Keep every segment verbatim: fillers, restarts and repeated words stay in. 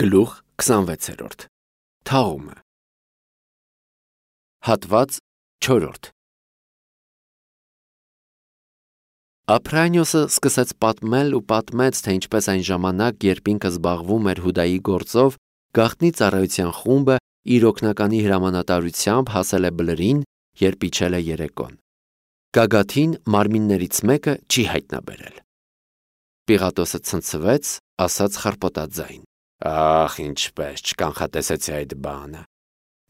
Գլուխ քսանվեցերորդ Թաղումը Հատված չորրորդ Ափրանիոսը սկսեց պատմել ու պատմեց, թե ինչպես այն ժամանակ, երբ ինքը զբաղվում էր Հուդայի գործով, գաղտնի ծառայության խումբը իր օգնականի հրամանատարությամբ հասել է Բլրին, երբ իջել է երեկոն։ Գագաթին մարմիններից մեկը չի հայտնաբերել։ Պիղատոսը ցնցվեց, ասաց խռպոտաձայն. Ախ, ինչպես չկանխատեսեցի այդ բանը։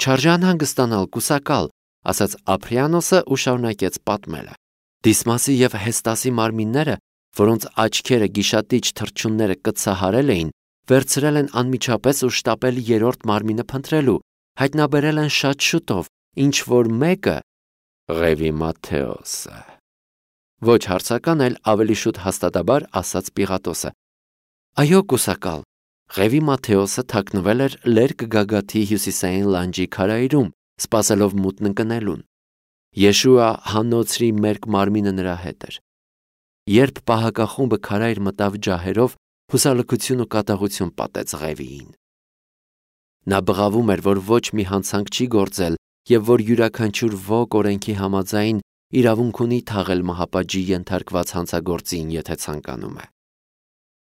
Չարժե անհանգստանալ, կուսակալ, ասաց Ափրանիոսը ու շարունակեց պատմելը։ Դիսմասի և Հեստասի մարմինները, որոնց աչքերը գիշատիչ թռչունները կծահարել էին, վերցրել են անմիջապես ու շտապել երրորդ մարմինը փնտրելու, հայտնաբերել են շատ շուտով, ինչ որ մեկը Ղևի Մատթեոսը։ Ոչ հարցական, այլ ավելի շուտ հաստատաբար ասաց Պիղատոսը. Այո, կուսակալ, Ղևի Մատթեոսը թաքնվել էր Լերկ գագաթի հյուսիսային լանջի քարայրում, սպասելով մութն ընկնելուն։ Եշուա Հանոցրի մերկ մարմինը նրա հետ էր։ Երբ պահակախումբը քարայր մտավ ջահերով, հուսալքություն ու կատաղություն պատեց Ղևիին։ Նա բղավում էր, որ ոչ մի հանցանք չի գործել և որ յուրաքանչյուր ոք օրենքի համաձայն իրավունք ունի թաղել մահապատժի ենթարկված հանցագործին, եթե ցանկանում է։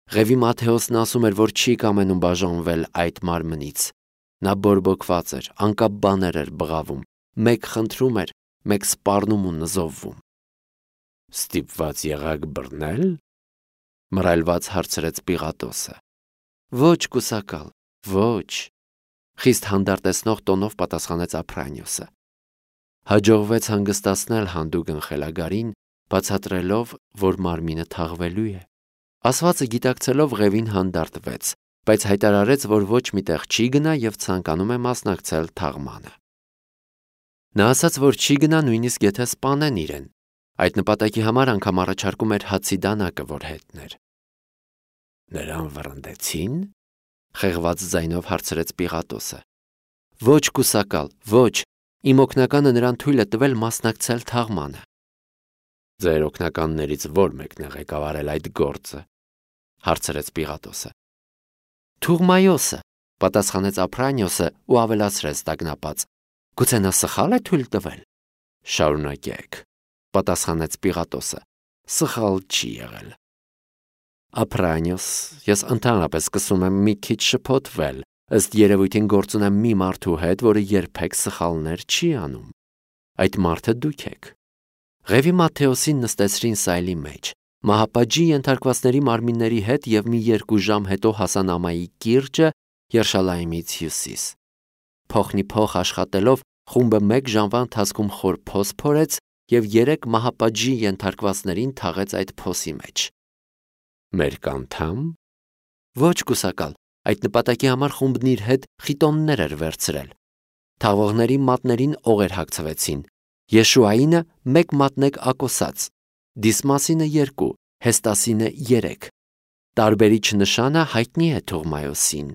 Ղևի Մատթեոսն ասում էր, որ չի կամենում բաժանվել այդ մարմնից։ Նա բորբոքված էր, անկապ բաներ էր բղավում, մեկ խնդրում էր, մեկ սպառնում ու նզովվում։ Ստիպված եղաք բռնել, մռայլված հարցրեց Պիղատոսը։ Ոչ, կուսակալ, ոչ, խիստ հանդարտեցնող տոնով պատասխանեց Ափրանիոսը։ Հաջողվեց հանգստացնել հանդուգն խելագարին, բացատրելով, որ մարմինը թաղվելու է։ Ասվածը գիտակցելով Ղևին հանդարտվեց, բայց հայտարարեց, որ ոչ մի տեղ չի գնա և ցանկանում է մասնակցել թաղմանը։ Նա ասաց, որ չի գնա նույնիսկ եթե սպանեն իրեն։ Այդ նպատակի համար անգամ առաջարկում էր հացի դանակը, որ հետներ։ Նրան վռնդեցին, խեղված ձայնով հարցրեց Պիղատոսը։ Ոչ, կուսակալ, ոչ, իմ օգնականը նրան թույլ է տվել մասնակցել թաղմանը։ Ձեր օգնականներից ո՞ր մեկն է ղեկավարել այդ գործը, հարցրեց Պիղատոսը։ Թուղմայոսը, պատասխանեց Ափրանիոսը ու ավելացրեց տագնապած. Գուցե նա սխալ է թույլ տվել։ Շարունակեք, պատասխանեց Պիղատոսը։ Սխալ չի եղել։ Ափրանիոս, ես ընդհանրապես սկսում եմ մի քիչ շփոթվել, ըստ երևույթին գործ ունեմ մի մարդու հետ, որը երբեք սխալներ չի անում։ Այդ մարդը դուք եք։ Ղևի Մատթեոսին նստեցրին սայլի մեջ, մահապատժի ենթարկվածների մարմինների հետ և մի երկու ժամ հետո հասան Ամայի կիրճը Երշալայիմից հյուսիս։ Փոխնի փոխ աշխատելով խումբը մեկ ժամվա ընթացքում խոր փոս փորեց և երեք մահապատժի ենթարկվածներին թաղեց այդ փոսի մեջ։ Մերկ անդամ։ Ոչ, կուսակալ, այդ նպատակի համար խումբն իր հետ խիտոններ էր վերցրել։ Թաղողների մատներին օղեր հագցվեցին։ Եշուայինը մեկ մատնեկ ակոսած, Դիսմասինը երկու, Հեստասինը երեք։ Տարբերիչ նշանը հայտնի է Թուղմայոսին։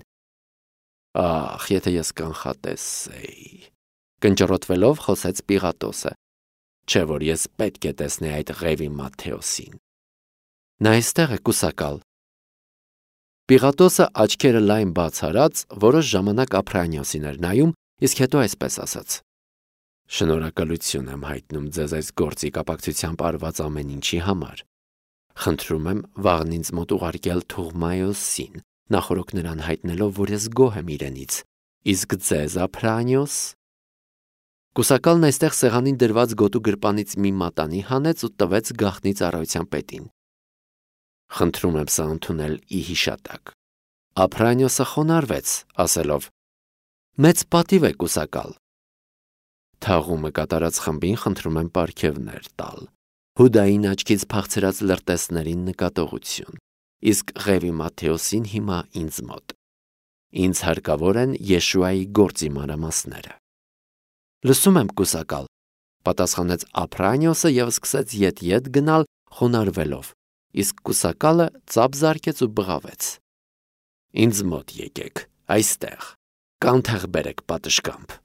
Ախ, եթե ես կանխատեսեի, կնճռոտվելով խոսեց Պիղատոսը, չէ որ ես պետք է տեսնեի այդ Ղևի Մատթեոսին։ Նա այստեղ է, կուսակալ։ Պիղատոսը աչքերը լայն բաց արած, որոշ ժամանակ Ափրանիոսին էր նայում, իսկ հետո այսպես ասաց. Շնորհակալություն եմ հայտնում ձեզ այս գործի կապակցությամբ արված ամեն ինչի համար։ Խնդրում եմ վաղն ինձ մոտ ուղարկել Թուղմայոսին, նախորոք նրան հայտնելով, որ ես գոհ եմ իրենից, իսկ ձեզ, Ափրանիոս։ Կուսակալն այստեղ սեղանին դրված գոտու գրպանից մի մատանի հանեց ու տվեց գաղտնի ծառայության պետին։ Խնդրում եմ սա ընդունել ի հիշատակ։ Ափրանիոսը խոնարհվեց, ասելով. Մեծ պատիվ է, կուսակալ։ Թաղումը կատարած խմբին խնդրում եմ պարգևներ տալ, Հուդային աչքից փախցրած լրտեսներին նկատողություն, իսկ Ղևի Մատթեոսին հիմա ինձ մոտ։ Ինձ հարկավոր են Եշուայի գործի մանրամասները։ Լսում եմ, կուսակալ, պատասխանեց Ափրանիոսը և սկսեց ետ-ետ գնալ խոնարհվելով, իսկ կուսակալը ծափ զարկեց ու բղավեց։ Ինձ մոտ եկեք, այստեղ, կանթեղ բերեք պատշգամբ։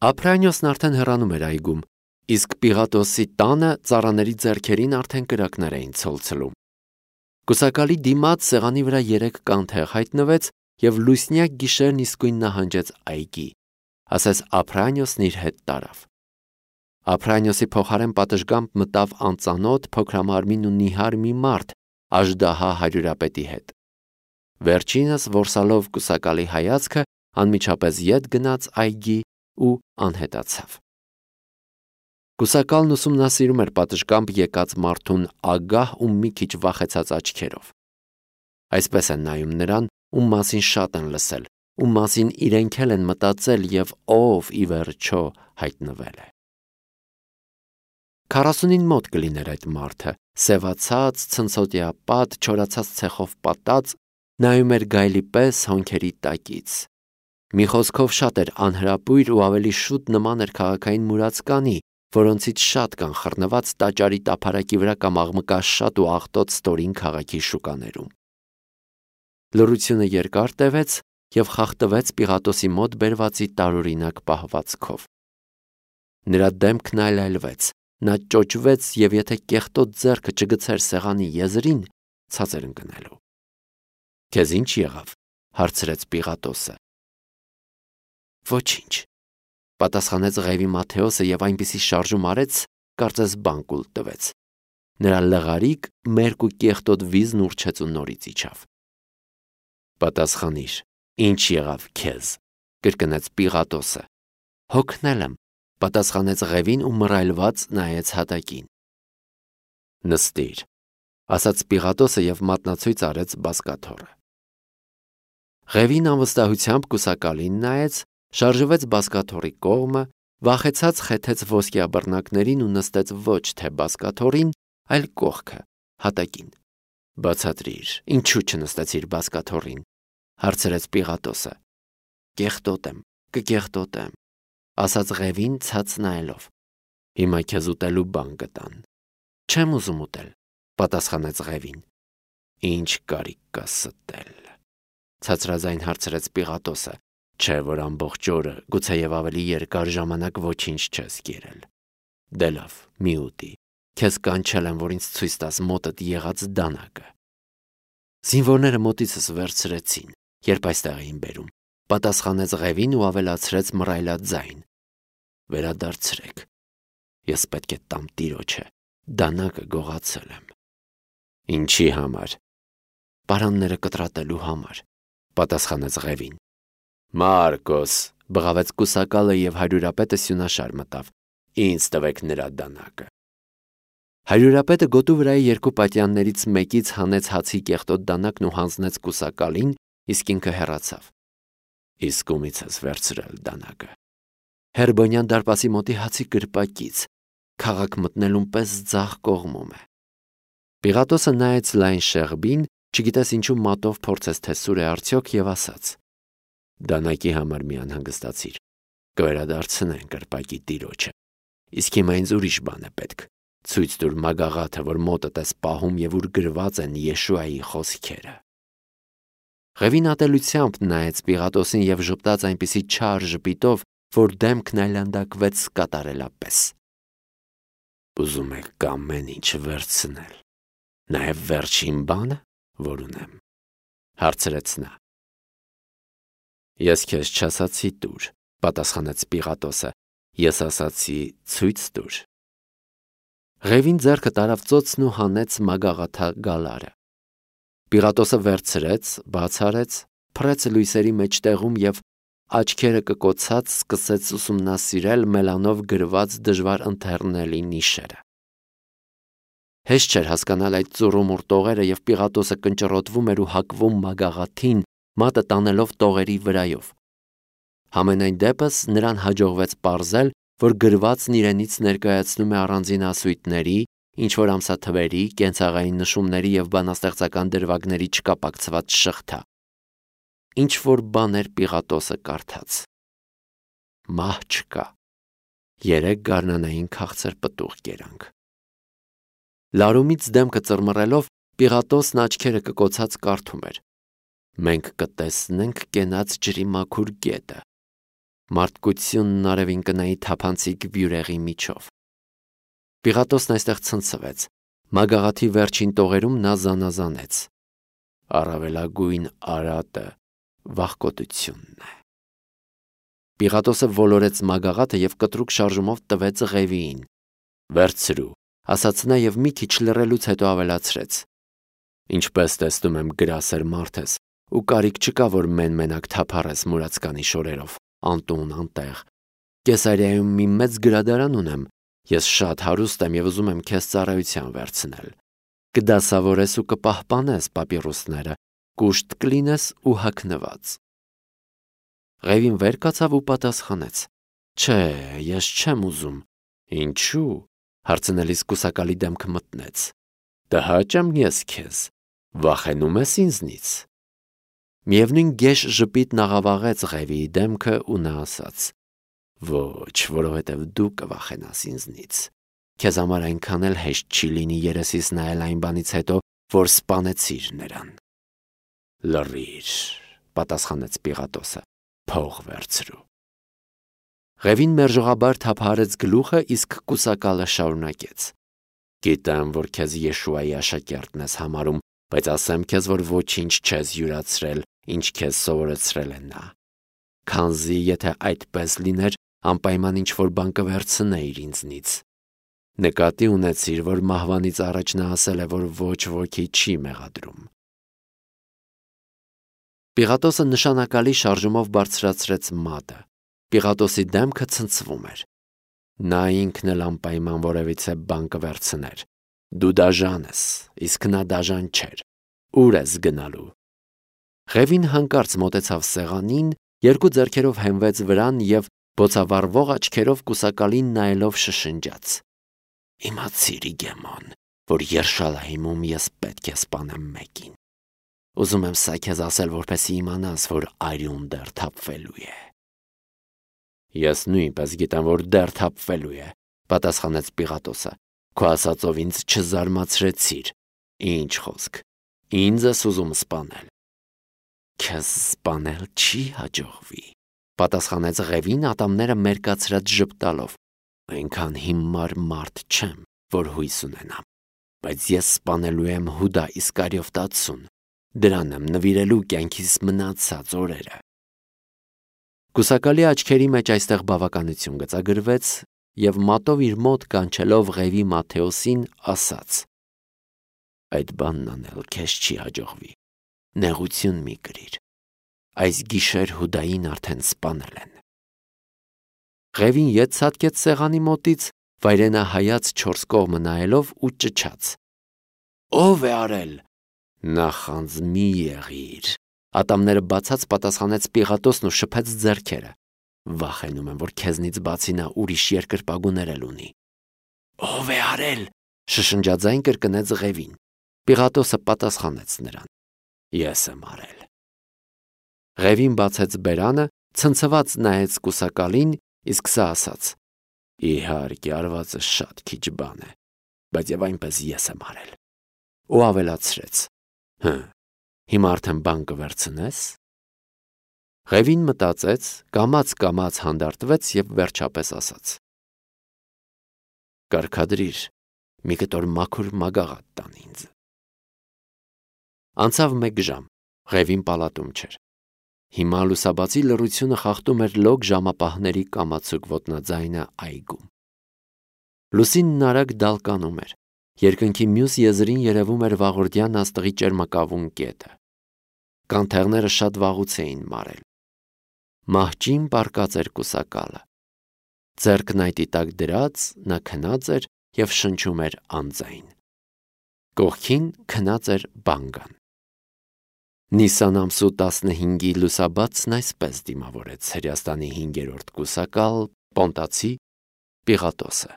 Ափրանիոսն արդեն հեռանում էր այգում, իսկ Պիղատոսի տանը ծառաների ձեռքերին արդեն կրակներ էին ցոլցլում։ Կուսակալի դիմաց սեղանի վրա երեք կանթեղ հայտնվեց և լուսնյակ գիշերն իսկույն նահանջեց այգի, ասես Ափրանիոսն իր հետ տարավ։ Ափրանիոսի փոխարեն պատշգամբ մտավ անծանոթ փոքրամարմին ու նիհար մի մարդ Աժդահա հարյուրապետի հետ։ Վերջինս որսալով կուսակալի հայացքը անմիջապես ետ գնաց այգի ու անհետացավ։ Կուսակալն ուսումնասիրում էր պատշգամբ եկած մարդուն ագահ ու մի քիչ վախեցած աչքերով։ Այսպես են նայում նրան, ում մասին շատ են լսել, ում մասին իրենք էլ են մտածել և ով ի վերջո հայտնվել է։ Քառասունին մոտ կլիներ այդ մարդը, սևացած, ցնցոտիապատ, չորացած ցեխով պատած, նայում էր գայլի պես հոնքերի տակից։ Մի խոսքով շատ էր անհրապույր ու ավելի շուտ նման էր քաղաքային մուրացկանի, որոնցից շատ կան խռնված տաճարի տափարակի վրա կամ աղմկաշատ ու աղտոտ ստորին քաղաքի շուկաներում։ Լռությունը երկար տևեց և խախտվեց Պիղատոսի մոտ բերվածի տարօրինակ պահվածքով։ Նրա դեմքն այլայլվեց, նա ճոճվեց և եթե կեղտոտ ձեռքը չգցեր սեղանի եզրին, ցած էր ընկնելու։ Քեզ ի՞նչ եղավ, հարցրեց Պիղատոսը։ Ոչինչ, պատասխանեց Ղևի Մատթեոսը և այնպիսի շարժում արեց, կարծես բան կուլ տվեց։ Նրա լղարիկ, մերկ ու կեղտոտ վիզն ուռչեց ու նորից իջավ։ Պատասխանիր, ի՞նչ եղավ քեզ, կրկնեց Պիղատոսը։ Հոգնել եմ, պատասխանեց Ղևին ու մռայլված նայեց հատակին։ Նստիր, ասաց Պիղատոսը և մատնացույց արեց բազկաթոռը։ Ղևին անվստահությամբ կուսակալին նայեց, շարժվեց բազկաթոռի կողմը, վախեցած խեթեց ոսկյաբռնակներին ու նստեց ոչ թե բազկաթոռին, այլ կողքը, հատակին։ Բացատրիր, ինչու չնստեցիր բազկաթոռին, հարցրեց Պիղատոսը։ Կեղտոտ եմ, կկեղտոտեմ, ասաց Ղևին ցած նայելով։ Հիմա քեզ ուտելու բան կտան։ Չեմ ուզում ուտել, պատասխանեց Ղևին։ Ինչ կարիք կա ստել, ցածրաձայն հարցրեց Պիղատոսը, չէ որ ամբողջ օրը, գուցեև ավելի երկար ժամանակ ոչինչ չես կերել։ Դե լավ, մի ուտի, քեզ կանչել եմ, որ ինձ ցույց տաս մոտդ եղած դանակը։ Զինվորները մոտիցս վերցրեցին, երբ այստեղ էին բերում, պատասխանեց Ղևին ու ավելացրեց մռայլած ձայն։ Վերադարձրեք, ես պետք է տամ տիրոջը, դանակը գողացել եմ։ Ինչի համար։ Պարանները կտրատելու համար, պատասխանեց Ղևին։ Մարկոս, բղավեց կուսակալը և հարյուրապետը սյունաշար մտավ։ Ինձ տվեք նրա դանակը։ Հարյուրապետը գոտու վրայի երկու պատյաններից մեկից հանեց հացի կեղտոտ դանակն ու հանձնեց կուսակալին, իսկ ինքը հեռացավ։ Իսկ ումից ես վերցրել դանակը։ Հերբոնյան դարպասի մոտի հացի կրպակից, քաղաք մտնելուն պես ձախ կողմում է։ Պիղատոսը նայեց լայն շեղբին, չգիտես ինչու մատով փորձեց թե սուր է արդյոք և ասաց. Դանակի համար մի անհանգստացիր, կվերադարձնեն կրպակի տիրոջը, իսկ հիմա ինձ ուրիշ բան է պետք, ցույց տուր մագաղաթը, որ մոտդ ես պահում և ուր գրված են Եշուայի խոսքերը։ Ղևին ատելությամբ նայեց Պիղատոսին և ժպտաց այնպիսի չար ժպիտով, որ դեմքն այլանդակվեց կատարելապես։ Ուզում եք ամեն ինչ վերցնել, նաև վերջին բանը, որ ունեմ, հարցրեց նա։ Ես քեզ չասացի տուր, պատասխանեց Պիղատոսը, ես ասացի ցույց տուր։ Ղևին ձեռքը տարավ ծոցն ու հանեց մագաղաթա գալարը։ Պիղատոսը վերցրեց, բաց արեց, փռեց լույսերի մեջտեղում և աչքերը կկոցած սկսեց ուսումնասիրել մելանով գրված դժվար ընթեռնելի նիշերը։ Հեշտ չէր հասկանալ այդ ծուռումուռ տողերը և Պիղատոսը կնճռոտվում էր ու հակվում մագաղաթին, մատը տանելով տողերի վրայով։ Համենայն դեպս նրան հաջողվեց պարզել, որ գրվածն իրենից ներկայացնում է առանձին ասույթների, ինչ-որ ամսաթվերի, կենցաղային նշումների և բանաստեղծական դրվագների չկապակցված շղթա։ Ինչ-որ բան էր Պիղատոսը կարդաց։ Մահ չկա։ Երեք գարնանային քաղցր պտուղ կերանք։ Լարումից դեմքը ծռմռելով Պիղատոսն աչքերը կկոցած կարդում էր. Մենք կտեսնենք կենաց ջրի մաքուր գետը, մարդկությունն արևին կնայի թափանցիկ վյուրեղի միջով։ Պիղատոսն այստեղ ցնցվեց, մագաղաթի վերջին տողերում նա զանազանեց. Առավելագույն արատը, վախկոտությունն է։ Պիղատոսը ոլորեց մագաղաթը և կտրուկ շարժումով տվեց Ղևիին։ «Վերցրու», ասաց նա և մի քիչ լռելուց հետո ավելացրեց. «Ինչպես տեսնում եմ, գրասեր մարդ ես, ու կարիք չկա, որ մեն-մենակ թափառես մուրացկանի շորերով, անտուն, անտեղ։ Կեսարիայում մի մեծ գրադարան ունեմ, ես շատ հարուստ եմ և ուզում եմ քեզ ծառայության վերցնել։ Կդասավորես ու կպահպանես պապիրուսները, կուշտ կլինես ու հագնված»։ Ղևին վեր կացավ ու պատասխանեց. «Չէ, ես չեմ ուզում»։ «Ինչու՞», հարցնելիս կուսակալի դեմքը մտնեց։ «Տհաճ եմ ես քեզ, վախենում ես ինձնից»։ Միևնույն գեշ ժպիտն աղավաղեց Ղևիի դեմքը ու նա ասաց. «Ոչ, որովհետև դու կվախենաս ինձնից։ Քեզ համար այնքան էլ հեշտ չի լինի երեսիս նայել այն բանից հետո, որ սպանեցիր նրան»։ «Լռիր», պատասխանեց Պիղատոսը, «փող վերցրու»։ Ղևին մերժողաբար թափահարեց գլուխը, իսկ կուսակալը շարունակեց. «Գիտեմ, որ քեզ Եշուայի աշակերտն ես համարում, բայց ասեմ քեզ, որ ոչինչ չես յուրացրել, ինչ քեզ սովորեցրել է նա։ Քանզի եթե այդպես լիներ, անպայման ինչ-որ բան կվերցնեիր ինձնից։ Նկատի ունեցիր, որ մահվանից առաջ նա ասել է, որ ոչ ոքի չի մեղադրում»։ Պիղատոսը նշանակալի շարժումով բարձրացրեց մատը։ Պիղատոսի դեմքը ցնցվում էր։ Նա ինքն էլ անպայման որևիցե բան կվերցներ։ Դու դաժան ես, իսկ նա դաժան չէր։ Ուր ես գնալու։ Ղևին հանկարծ մոտեցավ սեղանին, երկու ձեռքերով հենվեց վրան և բոցավառվող աչքերով կուսակալին նայելով շշնջաց. «Իմացիր, Իգեմոն, որ Երշալայիմում ես պետք է սպանեմ մեկին։ Ուզում եմ սա քեզ ասել, որպեսզի իմանաս, որ արյուն դեռ թափվելու է»։ «Ես նույնպես գիտեմ, որ դեռ թափվելու է», պատասխանեց Պիղատոսը։ «Քո ասածով ինձ չզարմացրեցիր։ Ինչ խոսք, ինձ ես ուզում սպանել»։ «Քեզ սպանել չի հաջողվի», պատասխանեց Ղևին ատամները մերկացրած ժպտալով։ «Այնքան հիմար մարդ չեմ, որ հույս ունենամ, բայց ես սպանելու եմ Հուդա Իսկարիովտացուն, դրան եմ նվիրելու կյանքիս մնացած օրերը»։ Կուսակալի աչքերի մեջ այստեղ բավականություն գծագրվեց և մատով իր մոտ կանչելով Ղևի Մատթեոսին ասաց. «Այդ բանն անել քեզ չի հաջողվի, նեղություն մի կրիր, այս գիշեր Հուդային արդեն սպանել են»։ Ղևին ետ ցատկեց սեղանի մոտից, վայրենահայաց չորս կողմը նայելով ու ճչաց. «Ո՞վ է արել»։ «Նախանձ մի եղիր», ատամները բացած պատասխանեց Պիղատոսն ու շփեց ձեռքերը։ «Վախենում եմ, որ քեզնից բացի նա ուրիշ երկրպագուներ էլ ունի»։ «Ո՞վ է արել», շշնջաձայն կրկնեց Ղևին։ Պիղատոսը պատասխանեց նրան. «Ես եմ արել»։ Ղևին բացեց բերանը, ցնցված նայեց կուսակալին, իսկ սա ասաց. «Իհարկե, արվածը շատ քիչ բան է, բայց և այնպես ես եմ արել»։ Ու ավելացրեց. «Հը, հիմա արդեն բան կվերցնես»։ Ղևին մտածեց, կամաց-կամաց հանդարտվեց և վերջապես ասաց. «Կարգադրիր, մի կտոր մաքուր մագաղաթ տան ինձ»։ Անցավ մեկ ժամ, Ղևին պալատում չէր։ Հիմա լուսաբացի լռությունը խախտում էր լոկ ժամապահների կամացուկ ոտնաձայնը այգում։ Լուսինն արագ դալկանում էր։ Երկնքի մյուս եզրին երևում էր վաղորդյան աստղի ճերմակավուն կետը։ Կանթեղները շատ վաղուց էին մարել։ Մահճին պառկած էր կուսակալը։ Ձեռքն այտի տակ դրած, նա քնած էր և շնչում էր անձայն։ Կողքին քնած էր Բանգան։ Նիսան ամսու տասնհինգի լուսաբացն այսպես դիմավորեց Հրեաստանի հինգերորդ կուսակալ, պոնտացի Պիղատոսը։